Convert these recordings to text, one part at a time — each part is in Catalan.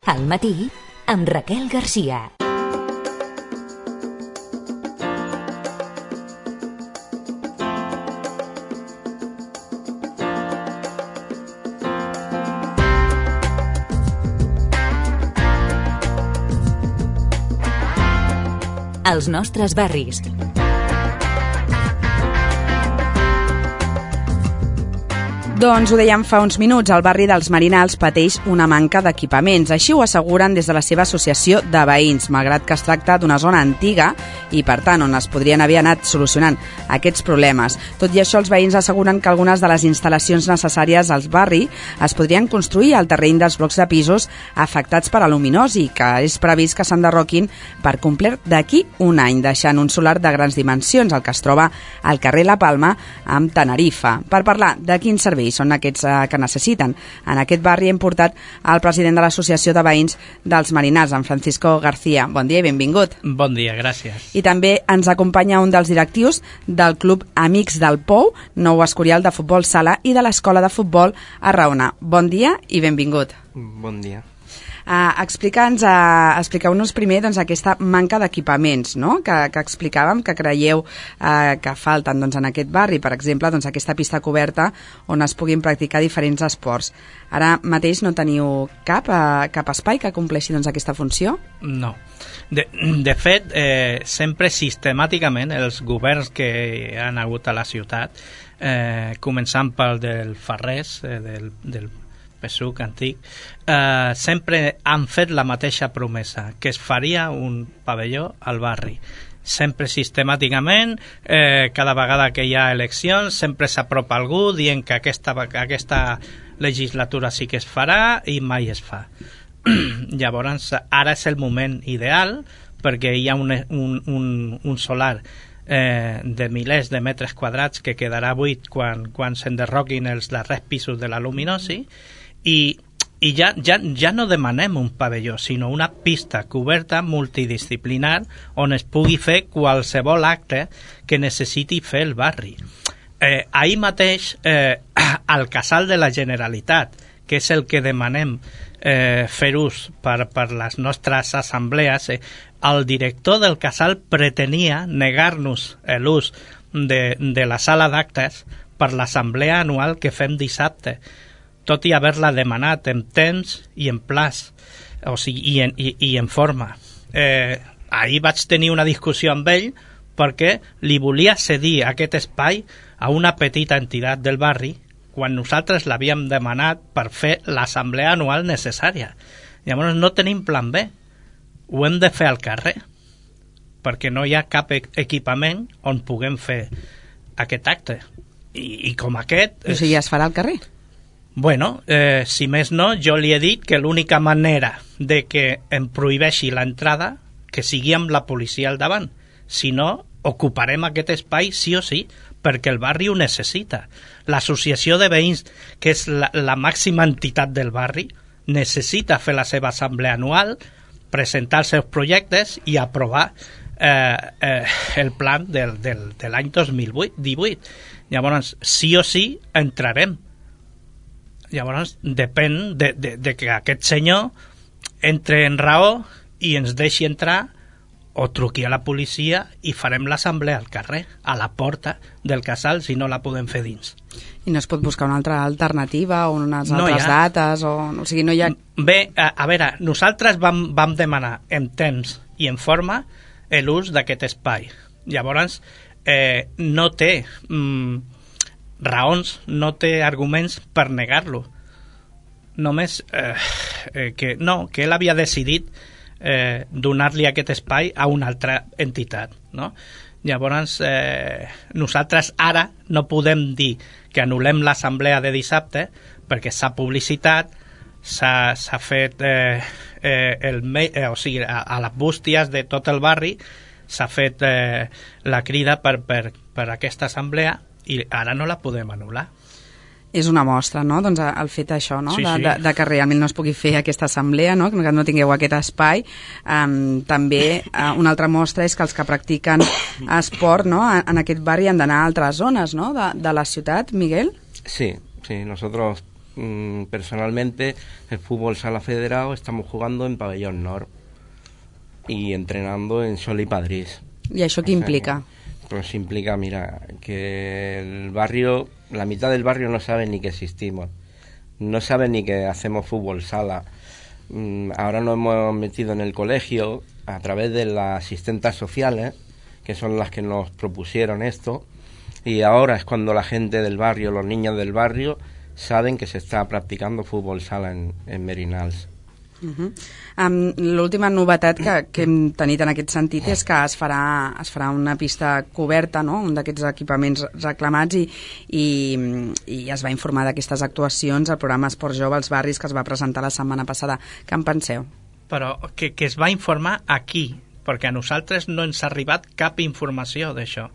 Al matí, amb Raquel Garcia. Els nostres barris. Doncs ho dèiem fa uns minuts, el barri dels Marinals pateix una manca d'equipaments. Així ho asseguren des de la seva associació de veïns, malgrat que es tracta d'una zona antiga i, per tant, on es podrien haver anat solucionant aquests problemes. Tot i això, els veïns asseguren que algunes de les instal·lacions necessàries al barri es podrien construir al terreny dels blocs de pisos afectats per aluminosi, que és previst que s'enderroquin per complet d'aquí un any, deixant un solar de grans dimensions, el que es troba al carrer La Palma, amb Tenerife. Per parlar de quins serveis són aquests que necessiten. En aquest barri hem portat el president de l'Associació de Veïns dels Marinals, en Francisco García. Bon dia i benvingut. Bon dia, gràcies. I també ens acompanya un dels directius del Club Amics del Pou, nou Escorial de Futbol Sala i de l'Escola de Futbol Arraona. Bon dia i benvingut. Bon dia. Expliqueu-nos primer aquesta manca d'equipaments, no? que explicàvem, que creieu que falten en aquest barri, per exemple, aquesta pista coberta on es puguin practicar diferents esports. Ara mateix no teniu cap espai que compleixi aquesta funció? No. De fet, sempre sistemàticament els governs que han hagut a la ciutat, començant pel del Farrés, del PSUC antic, sempre han fet la mateixa promesa, que es faria un pavelló al barri. Sempre sistemàticament, cada vegada que hi ha eleccions, sempre s'apropa algú dient que aquesta legislatura sí que es farà i mai es fa. Llavors, ara és el moment ideal perquè hi ha un solar de milers de metres quadrats que quedarà buit quan s'enderroquin els darrers pisos de l'aluminosi i ja no demanem un pavelló, sinó una pista coberta multidisciplinar on es pugui fer qualsevol acte que necessiti fer el barri. Ahir mateix, al Casal de la Generalitat, que és el que demanem fer ús per les nostres assemblees, el director del Casal pretenia negar-nos l'ús de la sala d'actes per l'assemblea anual que fem dissabte, tot i haver-la demanat en temps i en plaç, o sigui, i en forma. Ahir vaig tenir una discussió amb ell perquè li volia cedir aquest espai a una petita entitat del barri quan nosaltres l'havíem demanat per fer l'assemblea anual necessària. Llavors no tenim plan B. Ho hem de fer al carrer perquè no hi ha cap equipament on puguem fer aquest acte. I com aquest... O sigui, es farà al carrer? Bueno, si més no, jo li he dit que l'única manera de que em prohibeixi l'entrada que sigui amb la policia al davant. Si no, ocuparem aquest espai sí o sí, perquè el barri ho necessita. L'associació de veïns, que és la màxima entitat del barri, necessita fer la seva assemblea anual, presentar els seus projectes i aprovar el plan de l'any 2018. Llavors, sí o sí, entrarem. Llavors, depèn de que aquest senyor entre en raó i ens deixi entrar o truqui a la policia i farem l'assemblea al carrer, a la porta del casal, si no la podem fer dins. I no es pot buscar una altra alternativa o unes altres dates? O sigui, no hi ha... Bé, a veure, nosaltres vam demanar en temps i en forma l'ús d'aquest espai. Llavors, no té... raons, no té arguments per negar-lo. Només que ell havia decidit donar-li aquest espai a una altra entitat, no? Llavors, nosaltres ara no podem dir que anul·lem l'assemblea de dissabte perquè s'ha publicitat, s'ha fet o sigui, a les bústies de tot el barri s'ha fet la crida per aquesta assemblea i ara no la podem anul·lar. És una mostra, no?, doncs el fet això, no?, sí. De que realment no es pugui fer aquesta assemblea, no?, que no tingueu aquest espai. També una altra mostra és que els que practiquen esport, no?, en aquest barri han d'anar a altres zones, no?, de la ciutat. Miguel? Sí, nosotros personalmente, el fútbol sala federado, estamos jugando en Pabellón Nord y entrenando en Sol y Padrís. ¿Y això qué implica? Pues implica, mira, que el barrio, la mitad del barrio no sabe ni que existimos, no sabe ni que hacemos fútbol sala. Ahora nos hemos metido en el colegio a través de las asistentes sociales, que son las que nos propusieron esto, y ahora es cuando la gente del barrio, los niños del barrio, saben que se está practicando fútbol sala en Merinals. L'última novetat que hem tenit en aquest sentit és que es farà una pista coberta, no? Un d'aquests equipaments reclamats i es va informar d'aquestes actuacions al programa Esport Jove als Barris que es va presentar la setmana passada. Què en penseu? Però que es va informar aquí, perquè a nosaltres no ens ha arribat cap informació d'això.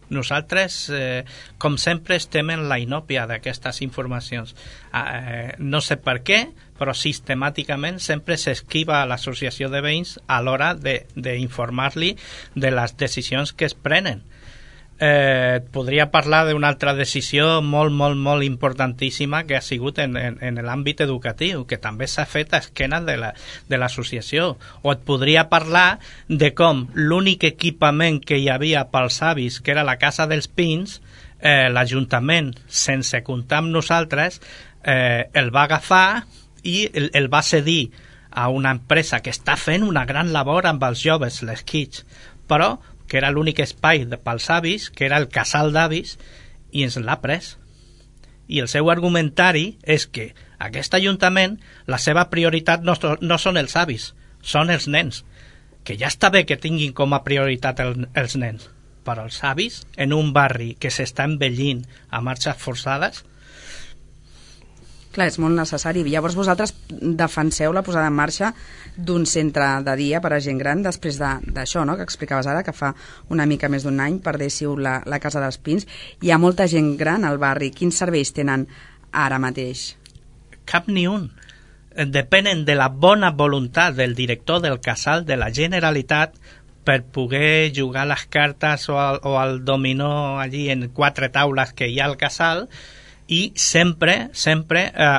Nosaltres, com sempre, estem en la inòpia d'aquestes informacions. No sé per què, però sistemàticament sempre s'esquiva a l'associació de veïns a l'hora d'informar-li de les decisions que es prenen. Podria parlar d'una altra decisió molt importantíssima que ha sigut en l'àmbit educatiu, que també s'ha fet a esquena de l'associació. O et podria parlar de com l'únic equipament que hi havia pels avis, que era la Casa dels Pins, l'Ajuntament, sense comptar amb nosaltres, el va agafar i el va cedir a una empresa que està fent una gran labor amb els joves, les Kids, però que era l'únic espai pels avis, que era el casal d'avis, i ens l'ha pres. I el seu argumentari és que aquest ajuntament, la seva prioritat no són els avis, són els nens, que ja està bé que tinguin com a prioritat els nens, però els avis, en un barri que s'està envellint a marxes forçades. Clar, és molt necessari. Llavors vosaltres defenseu la posada en marxa d'un centre de dia per a gent gran després d'això, no?, que explicaves ara, que fa una mica més d'un any perdéssiu la Casa dels Pins. Hi ha molta gent gran al barri. Quins serveis tenen ara mateix? Cap ni un. Depenen de la bona voluntat del director del casal de la Generalitat per poder jugar les cartes o al dominó allí en 4 taules que hi ha al casal, i sempre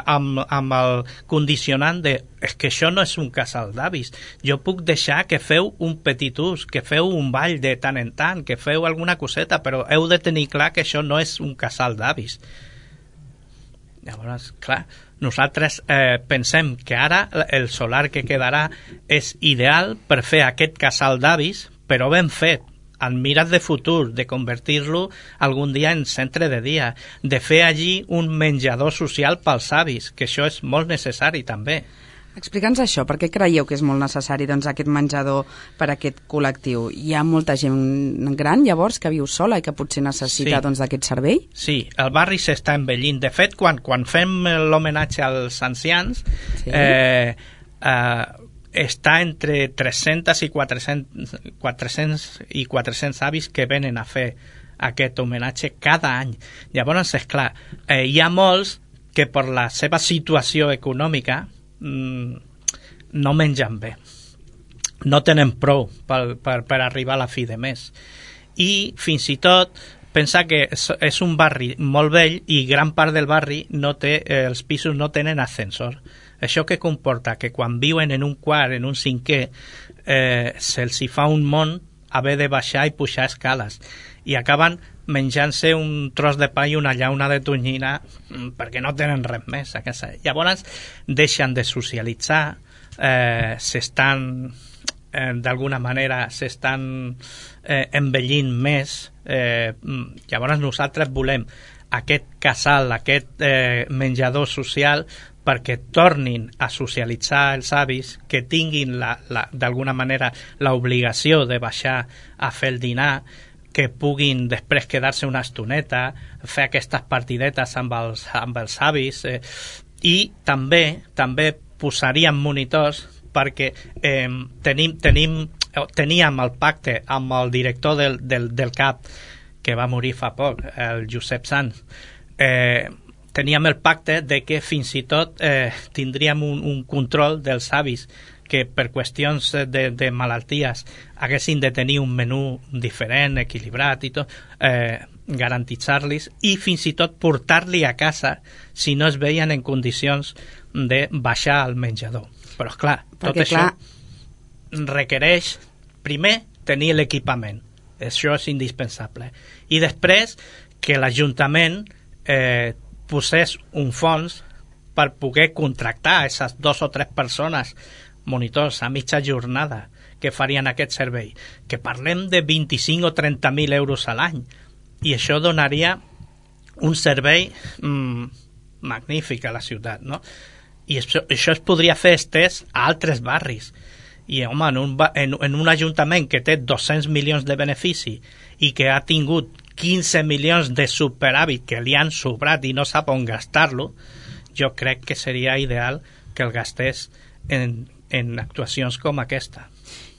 amb el condicionant de és que això no és un casal d'avis, jo puc deixar que feu un petit ús, que feu un ball de tant en tant, que feu alguna coseta, però heu de tenir clar que això no és un casal d'avis. Llavors, clar, nosaltres pensem que ara el solar que quedarà és ideal per fer aquest casal d'avis, però ben fet, en miras de futur, de convertir-lo algun dia en centre de dia, de fer allí un menjador social pels avis, que això és molt necessari també. Explica'ns això, per què creieu que és molt necessari aquest menjador per a aquest col·lectiu? Hi ha molta gent gran, llavors, que viu sola i que potser necessita d'aquest servei? Sí, el barri s'està envellint. De fet, quan fem l'homenatge als ancians, està entre 300 i 400 avis que venen a fer aquest homenatge cada any. Llavors, esclar, hi ha molts que per la seva situació econòmica no mengen bé, no tenen prou per arribar a la fi de mes, i fins i tot pensa que és un barri molt vell i gran part del barri els pisos no tenen ascensor. Això que comporta que quan viuen en un quart, en un cinquè, se'ls hi fa un món haver de baixar i pujar escales, i acaben menjant-se un tros de pa i una llauna de tonyina perquè no tenen res més a casa. Llavors deixen de socialitzar, d'alguna manera s'estan envellint més. Llavors nosaltres volem aquest casal, aquest menjador social, perquè tornin a socialitzar els avis, que tinguin d'alguna manera l'obligació de baixar a fer el dinar, que puguin després quedar-se una estoneta, fer aquestes partidetes amb els avis, i també posaríem monitors perquè teníem el pacte amb el director del CAP, que va morir fa poc, el Josep Sanz. Teníem el pacte de que fins i tot tindríem un control dels avis que per qüestions de malalties haguessin de tenir un menú diferent, equilibrat i tot, garantitzar-los i fins i tot portar-li a casa si no es veien en condicions de baixar al menjador. Però, clar, tot això requereix, primer, tenir l'equipament. Això és indispensable. I després, que l'Ajuntament posés un fons per poder contractar aquestes 2 o 3 persones, monitors a mitja jornada, que farien aquest servei. Que parlem de 25 o 30.000 euros a l'any. I això donaria un servei magnífic a la ciutat, no? I això es podria fer estès a altres barris. I, home, en un ajuntament que té 200 milions de benefici i que ha tingut 15 milions de superàvit que li han sobrat i no sap on gastar-lo, jo crec que seria ideal que el gastés en actuacions com aquesta.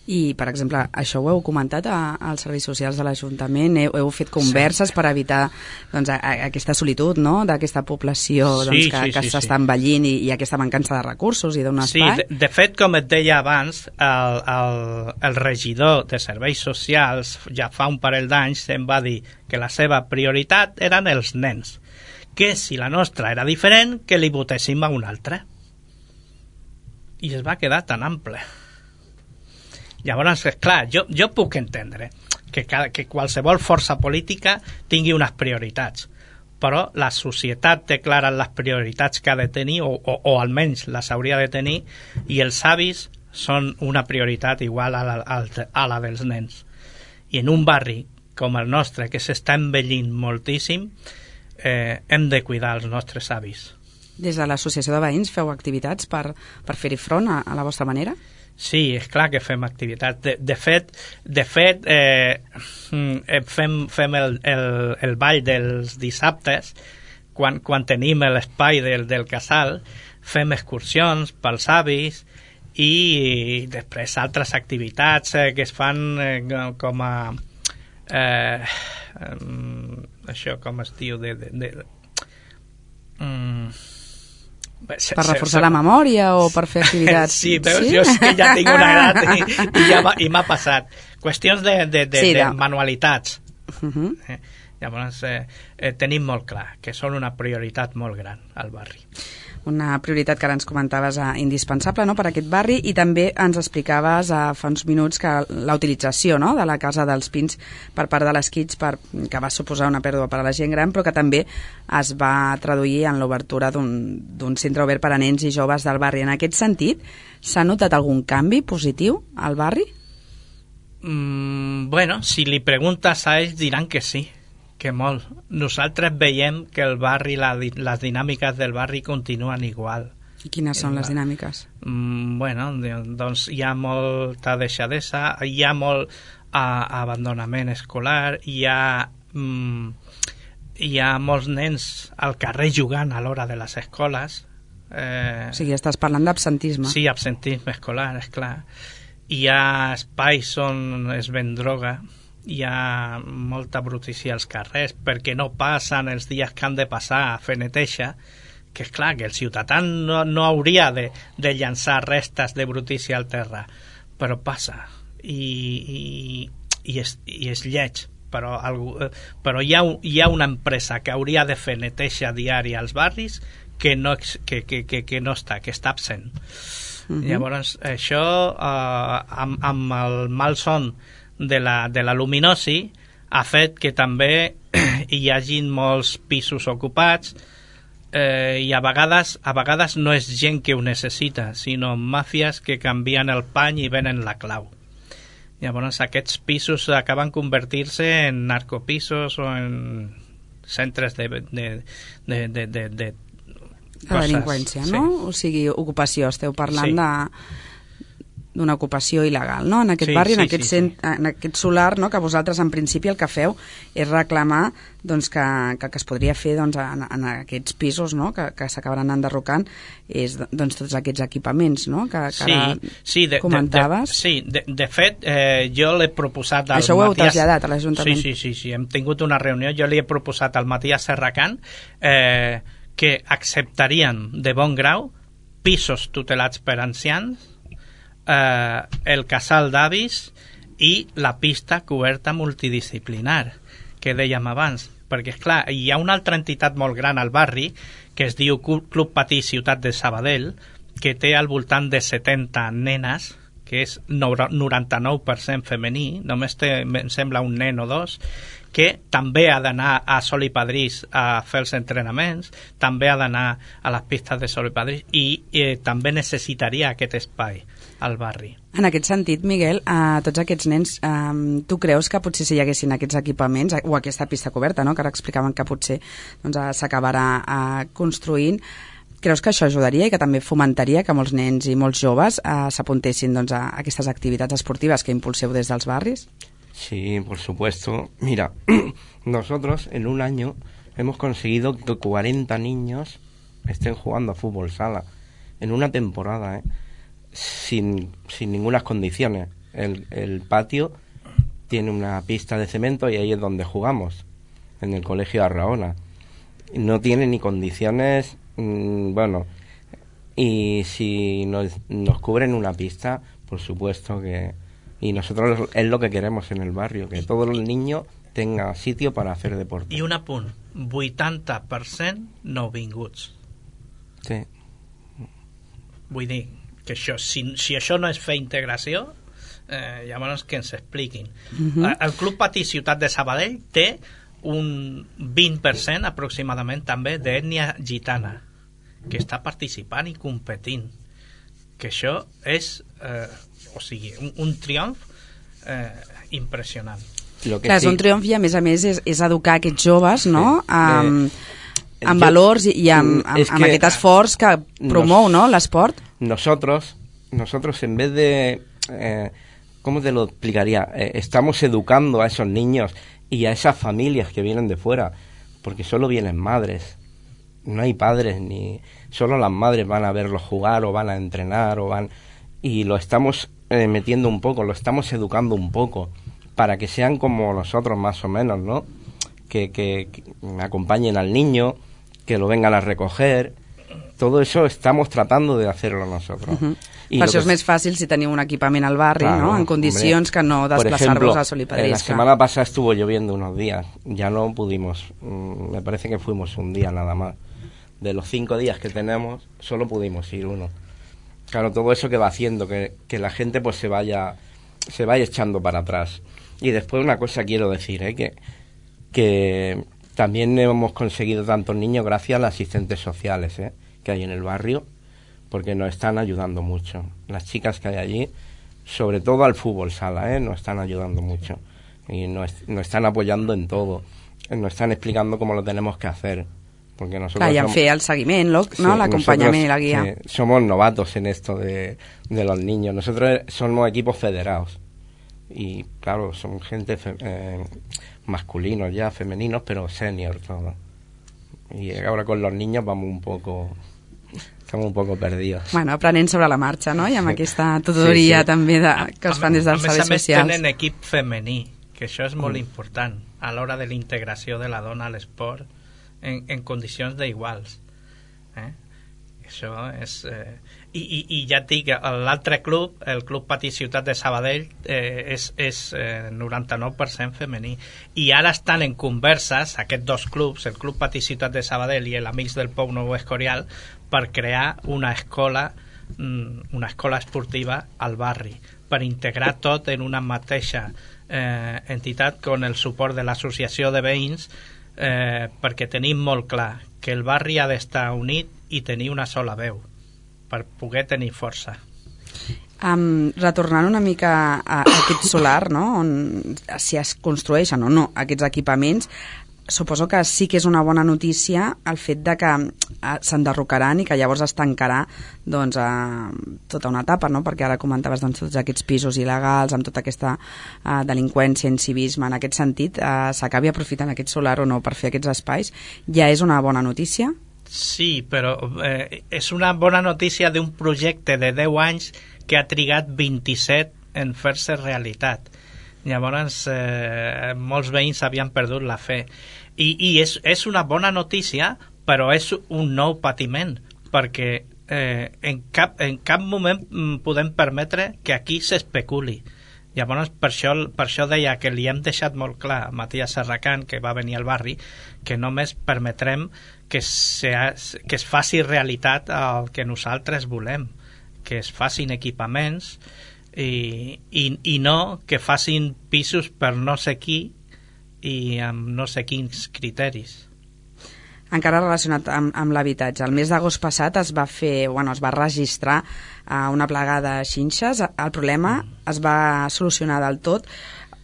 I, per exemple, això ho heu comentat als serveis socials de l'Ajuntament? Heu fet converses per evitar doncs, aquesta solitud, no?, d'aquesta població que s'està envellint i aquesta mancança de recursos i d'un espai? Sí, de fet, com et deia abans, el regidor de serveis socials ja fa un parell d'anys em va dir que la seva prioritat eren els nens, que si la nostra era diferent, que li votéssim a un altre. I es va quedar tan ample. Llavors, clar, jo puc entendre que qualsevol força política tingui unes prioritats, però la societat té clares les prioritats que ha de tenir, o almenys les hauria de tenir, i els avis són una prioritat igual a la dels nens. I en un barri com el nostre, que s'està envellint moltíssim, hem de cuidar els nostres avis. Des de l'Associació de Veïns feu activitats per fer-hi front a la vostra manera? Sí, és clar que fem activitats. De fet, fem el ball dels dissabtes, quan tenim l'espai del casal, fem excursions pels avis i després altres activitats que es fan com a... això com es diu per reforçar la memòria o per fer activitats? Sí, veus, jo és que ja tinc una edat i m'ha passat. Qüestions de manualitats. Llavors, tenim molt clar que són una prioritat molt gran al barri. Una prioritat que ara ens comentaves indispensable, no?, per aquest barri, i també ens explicaves fa uns minuts que la utilització, no?, de la Casa dels Pins per part de les Kids, que va suposar una pèrdua per a la gent gran, però que també es va traduir en l'obertura d'un centre obert per a nens i joves del barri. En aquest sentit, s'ha notat algun canvi positiu al barri? Bueno, si li preguntes a ells diran que sí, que molt. Nosaltres veiem que el barri, les dinàmiques del barri continuen igual. I quines són les dinàmiques? Bueno, doncs hi ha molta deixadesa, hi ha molt abandonament escolar, hi ha molts nens al carrer jugant a l'hora de les escoles. O sigui, estàs parlant d'absentisme. Sí, absentisme escolar, és clar. Hi ha espais on es ven droga, hi ha molta brutícia als carrers perquè no passen els dies que han de passar a fer neteja, que és clar que el ciutadà no hauria de llançar restes de brutícia al terra, però passa i és lleig, però hi ha una empresa que hauria de fer neteja diària als barris que no està, que està absent. Llavors això amb el malson de la luminosi ha fet que també hi hagin molts pisos ocupats i a vegades no és gent que ho necessita, sinó màfies que canvien el pany i venen la clau. Llavors aquests pisos acaben convertir-se en narcopisos o en centres de delinqüència, no? Sí. O sigui, ocupació, esteu parlant d'una ocupació il·legal, no? En aquest barri, en aquest solar, no? Que vosaltres en principi el que feu és reclamar doncs, que es podria fer doncs, en aquests pisos, no? Que s'acabaran enderrocant doncs, tots aquests equipaments, no? Que ara comentaves. De fet, jo l'he proposat al Això ho heu traslladat a l'Ajuntament. Sí, hem tingut una reunió, jo li he proposat al Matías Serracant que acceptarien de bon grau pisos tutelats per ancians el casal d'avis i la pista coberta multidisciplinar que dèiem abans, perquè esclar, hi ha una altra entitat molt gran al barri que es diu Club Patí Ciutat de Sabadell, que té al voltant de 70 nenes, que és 99% femení, només té, em sembla, un nen o dos, que també ha d'anar a Sol i Padrís a fer els entrenaments, també ha d'anar a les pistes de Sol i Padrís i també necessitaria aquest espai al barri. En aquest sentit, Miguel, a tots aquests nens, tu creus que potser si hi haguessin aquests equipaments o aquesta pista coberta, no?, que ara explicaven que potser s'acabarà construint, creus que això ajudaria i que també fomentaria que molts nens i molts joves s'apuntessin a aquestes activitats esportives que impulseu des dels barris? Sí, por supuesto. Mira, nosotros en un año hemos conseguido que 40 niños estén jugando a fútbol sala en una temporada, sin ninguna condiciones. El patio tiene una pista de cemento y ahí es donde jugamos, en el colegio Arraona. No tiene ni condiciones, bueno, y si nos cubren una pista, por supuesto que... Y nosotros es lo que queremos en el barrio, que todos los niños tengan sitio para hacer deporte. I un apunt, 80% nouvinguts. Sí. Vull dir que això, si això no és fer integració, llavors que ens expliquin. El Club Patí Ciutat de Sabadell té un 20% aproximadament també d'ètnia gitana que està participant i competint, que això és o sigui, un triomf impressionant. Clar, és un triomf i a més és educar aquests joves, no?, amb valors i amb aquest esforç que promou, no?, l'esport. Nosotros en vez de ¿cómo te lo explicaría? Estamos educando a esos niños y a esas familias que vienen de fuera, porque solo vienen madres, no hay padres, ni solo las madres van a verlos jugar o van a entrenar y lo estamos metiendo un poco, lo estamos educando un poco para que sean como nosotros más o menos, ¿no? Que acompañen al niño, que lo vengan a recoger. Todo eso estamos tratando de hacerlo nosotros. Per això és més fàcil si teniu un equipament al barri, claro, ¿no?, en condicions que no desplaçar-vos a Sol i Padrís. La semana pasada estuvo lloviendo unos días, ya no pudimos, me parece que fuimos un día nada más. De los 5 días que tenemos, solo pudimos ir uno. Claro, todo eso que va haciendo que la gente pues se vaya echando para atrás. Y después una cosa quiero decir, que también hemos conseguido tantos niños gracias a los asistentes sociales que hay en el barrio, porque nos están ayudando mucho. Las chicas que hay allí, sobre todo al fútbol sala, nos están ayudando mucho. Y nos están apoyando en todo. Nos están explicando cómo lo tenemos que hacer. Porque nosotros somos, fer el seguiment, no? Sí, l'acompanyament i la guia. Somos novatos en esto de los niños. Nosotros somos equipos federados. Y claro, son gente masculinos ya, femeninos, pero senior todo. Y ahora con los niños estamos un poco perdidos. Bueno, aprenent sobre la marxa, no? I amb aquesta tutoria també que es fan des dels serveis socials. A més tenen equip femení, que això és molt important a l'hora de la integració de la dona a l'esport en condicions d'iguals. Això és... I ja et dic, l'altre club, el Club Patí Ciutat de Sabadell, és 99% femení. I ara estan en converses, aquests dos clubs, el Club Patí Ciutat de Sabadell i l'Amics del Pou Nou Escorial, per crear una escola esportiva al barri, per integrar tot en una mateixa entitat con el suport de l'associació de veïns, perquè tenim molt clar que el barri ha d'estar unit i tenir una sola veu per poder tenir força. Retornant una mica a aquest solar, no?, on si es construeixen o no aquests equipaments, suposo que sí que és una bona notícia el fet de que s'enderrocaran i que llavors es tancarà tota una etapa, no? Perquè ara comentaves tots aquests pisos il·legals amb tota aquesta delinqüència, incivisme, en aquest sentit s'acabi aprofitant aquest solar o no per fer aquests espais, ja és una bona notícia? Sí, però és una bona notícia d'un projecte de 10 anys que ha trigat 27 en fer-se realitat. Llavors molts veïns havien perdut la fe i és una bona notícia, però és un nou patiment, perquè en cap moment podem permetre que aquí s'especuli. Llavors, per això deia que li hem deixat molt clar a Matías Serracant, que va venir al barri, que només permetrem que es faci realitat el que nosaltres volem, que es facin equipaments i no que facin pisos per no sé qui i amb no sé quins criteris. Encara relacionat amb l'habitatge, el mes d'agost passat es va registrar una plaga de xinxes. El problema es va solucionar del tot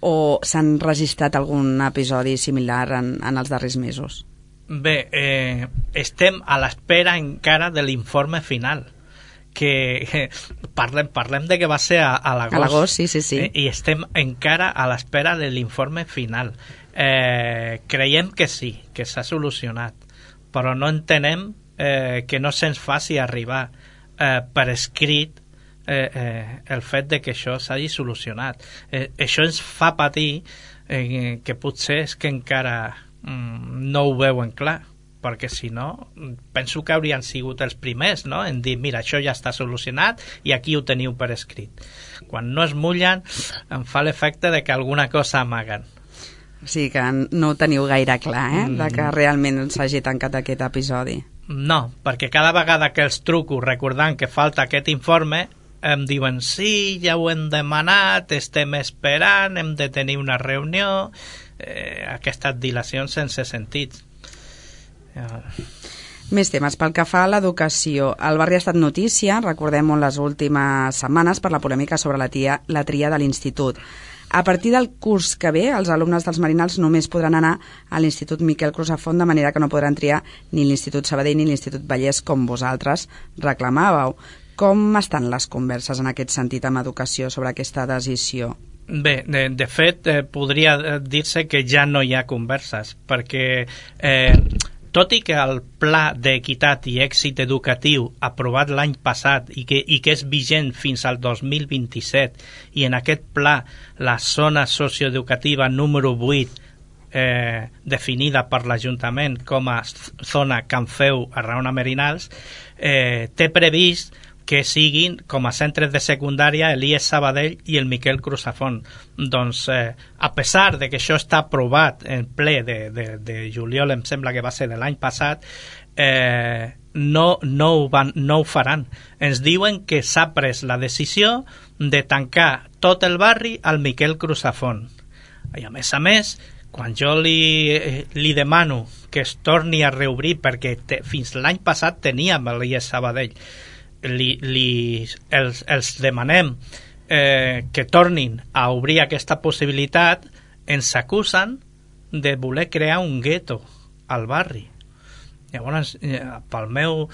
o s'han registrat algun episodi similar en els darrers mesos? Bé, estem a l'espera encara de l'informe final, que parlem de que va ser a l'agost. A l'agost, sí. I estem encara a l'espera de l'informe final. Creiem que sí, que s'ha solucionat, però no entenem que no se'ns faci arribar per escrit el fet de que això s'hagi solucionat. Això ens fa patir que potser és que encara no ho veuen clar, perquè si no, penso que haurien sigut els primers, no?, en dir, mira, això ja està solucionat i aquí ho teniu per escrit. Quan no es mullen, em fa l'efecte de que alguna cosa amaguen. O sigui que no ho teniu gaire clar, de que realment s'hagi tancat aquest episodi. No, perquè cada vegada que els truco recordant que falta aquest informe, em diuen, sí, ja ho hem demanat, estem esperant, hem de tenir una reunió, aquestes dilacions sense sentit. Més temes. Pel que fa a l'educació, el barri ha estat notícia, recordem-ho, en les últimes setmanes per la polèmica sobre la tria de l'institut. A partir del curs que ve, els alumnes dels Marinals només podran anar a l'Institut Miquel Crusafont, de manera que no podran triar ni l'Institut Sabadell ni l'Institut Vallès, com vosaltres reclamàveu. Com estan les converses en aquest sentit amb educació sobre aquesta decisió? Bé, de fet, podria dir-se que ja no hi ha converses, perquè tot i que el Pla d'Equitat i Èxit Educatiu aprovat l'any passat i que és vigent fins al 2027, i en aquest pla la zona socioeducativa número 8 definida per l'Ajuntament com a zona Can Feu a Raona Merinals, té previst que siguin com a centres de secundària l'IES Sabadell i el Miquel Crusafont. Doncs, a pesar de que això està aprovat en ple de juliol, em sembla que va ser de l'any passat, no ho faran. Ens diuen que s'ha pres la decisió de tancar tot el barri al Miquel Crusafont. I a més, quan jo li demano que es torni a reobrir, perquè fins l'any passat teníem l'IES Sabadell, els demanem que tornin a obrir aquesta possibilitat, ens acusen de voler crear un gueto al barri. Llavors, pel meu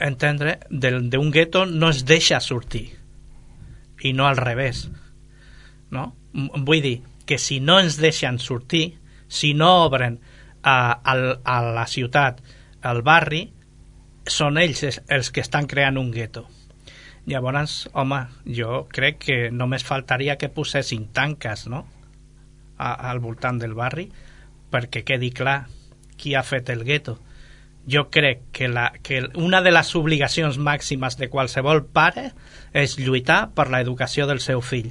entendre, d'un gueto no es deixa sortir, i no al revés, no? Vull dir que si no ens deixen sortir, si no obren a la ciutat, al barri, són ells els que estan creant un gueto. Llavors, home, jo crec que només faltaria que posessin tanques, no?, al voltant del barri, perquè quedi clar qui ha fet el gueto. Jo crec que una de les obligacions màximes de qualsevol pare és lluitar per l'educació del seu fill.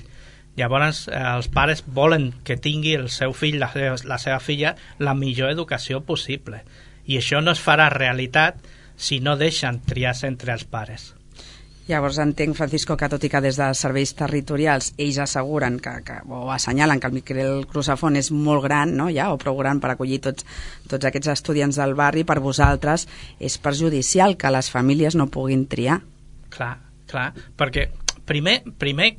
Llavors, els pares volen que tingui el seu fill, la seva filla, la millor educació possible. I això no es farà realitat si no deixen triar entre els pares. Llavors entenc, Francisco, que tot i que des de serveis territorials ells asseguren o assenyalen que el Miquel Crusafont és molt gran, no, ja, o prou gran per acollir tots aquests estudiants del barri, per vosaltres és perjudicial que les famílies no puguin triar. Clar, perquè primer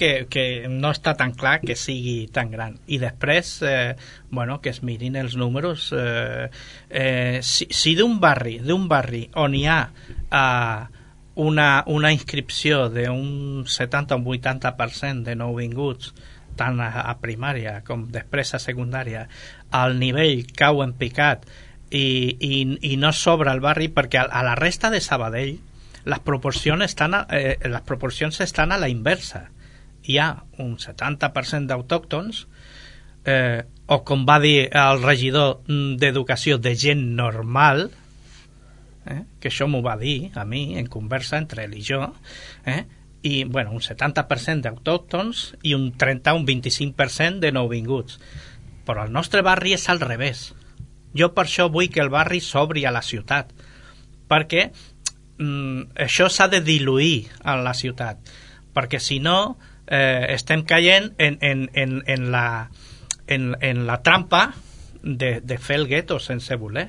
que no està tan clar que sigui tan gran, i després que es mirin els números. Si d'un barri on hi ha una inscripció d'un 70 o un 80% de nouvinguts, tant a primària com després a secundària, el nivell cau en picat i no sobra el barri, perquè a la resta de Sabadell les proporcions estan a la inversa. Hi ha un 70% d'autòctons, o com va dir el regidor d'Educació, de gent normal, que això m'ho va dir a mi en conversa entre ell i jo, i bueno, un 70% d'autòctons i un 30 un 25% de nouvinguts. Però el nostre barri és al revés. Jo per això vull que el barri s'obri a la ciutat, perquè això s'ha de diluir a la ciutat, perquè si no estem caient en la trampa de fer el gueto sense voler,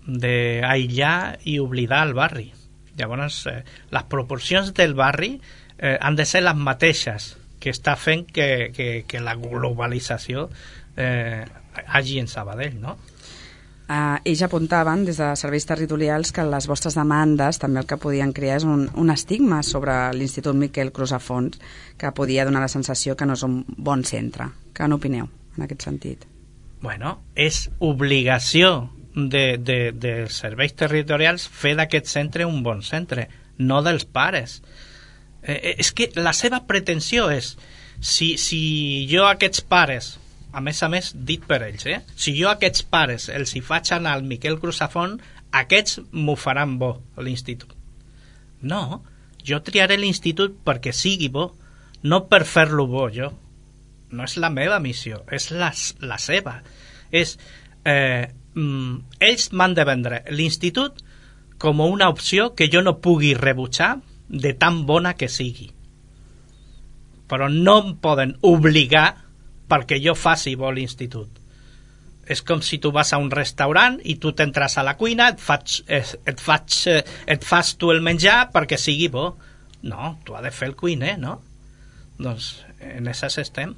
d'aïllar i oblidar el barri. Llavors, les proporcions del barri han de ser les mateixes que està fent que la globalització hagi en Sabadell, no? Ells apuntaven des de serveis territorials que les vostres demandes també el que podien crear és un estigma sobre l'Institut Miquel Crusafont, que podia donar la sensació que no és un bon centre. Què n'opineu en aquest sentit? Bueno, és obligació dels serveis territorials fer d'aquest centre un bon centre, no dels pares. És que la seva pretensió és si jo a aquests pares, a més dit per ells, si jo a aquests pares els hi faig anar al Miquel Crusafont, aquests m'ho faran bo a l'institut. No, jo triaré l'institut perquè sigui bo, no per fer-lo bo jo. No és la meva missió, és la seva. Ells m'han de vendre l'institut com una opció que jo no pugui rebutjar de tan bona que sigui. Però no em poden obligar perquè jo faci bo l'institut. És com si tu vas a un restaurant i tu t'entres a la cuina, et fas tu el menjar perquè sigui bo. No, tu has de fer el cuiner, no? Doncs en això estem.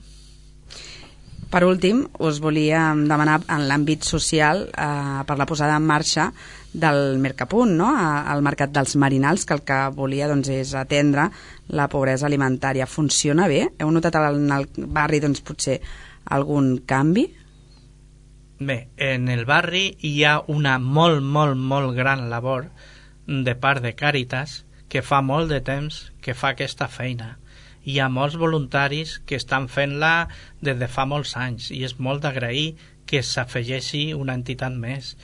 Per últim, us volíem demanar en l'àmbit social per la posada en marxa del Mercapunt, no? Al Mercat dels Marinals, que el que volia és atendre la pobresa alimentària. Funciona bé? Heu notat en el barri potser algun canvi? Bé, en el barri hi ha una molt gran labor de part de Càritas que fa molt de temps que fa aquesta feina. Hi ha molts voluntaris que estan fent-la des de fa molts anys i és molt d'agrair que s'afegeixi una entitat més.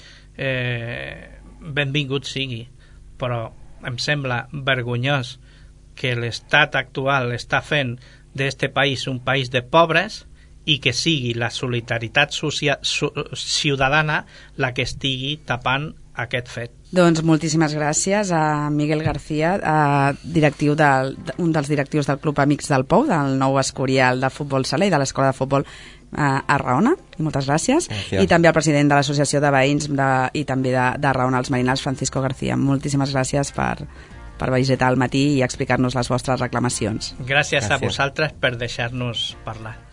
Benvingut sigui, però em sembla vergonyós que l'estat actual està fent d'este país un país de pobres i que sigui la solidaritat ciutadana la que estigui tapant aquest fet. Doncs moltíssimes gràcies a Miguel García, directiu un dels directius del Club Amics del Pou, del nou Escorial de Futbol Sala i de l'Escola de Futbol a Raona. Moltes gràcies. I també al president de l'Associació de Veïns i també de Raona als Marinals, Francisco García. Moltíssimes gràcies per visitar al matí i explicar-nos les vostres reclamacions. Gràcies a vosaltres per deixar-nos parlar.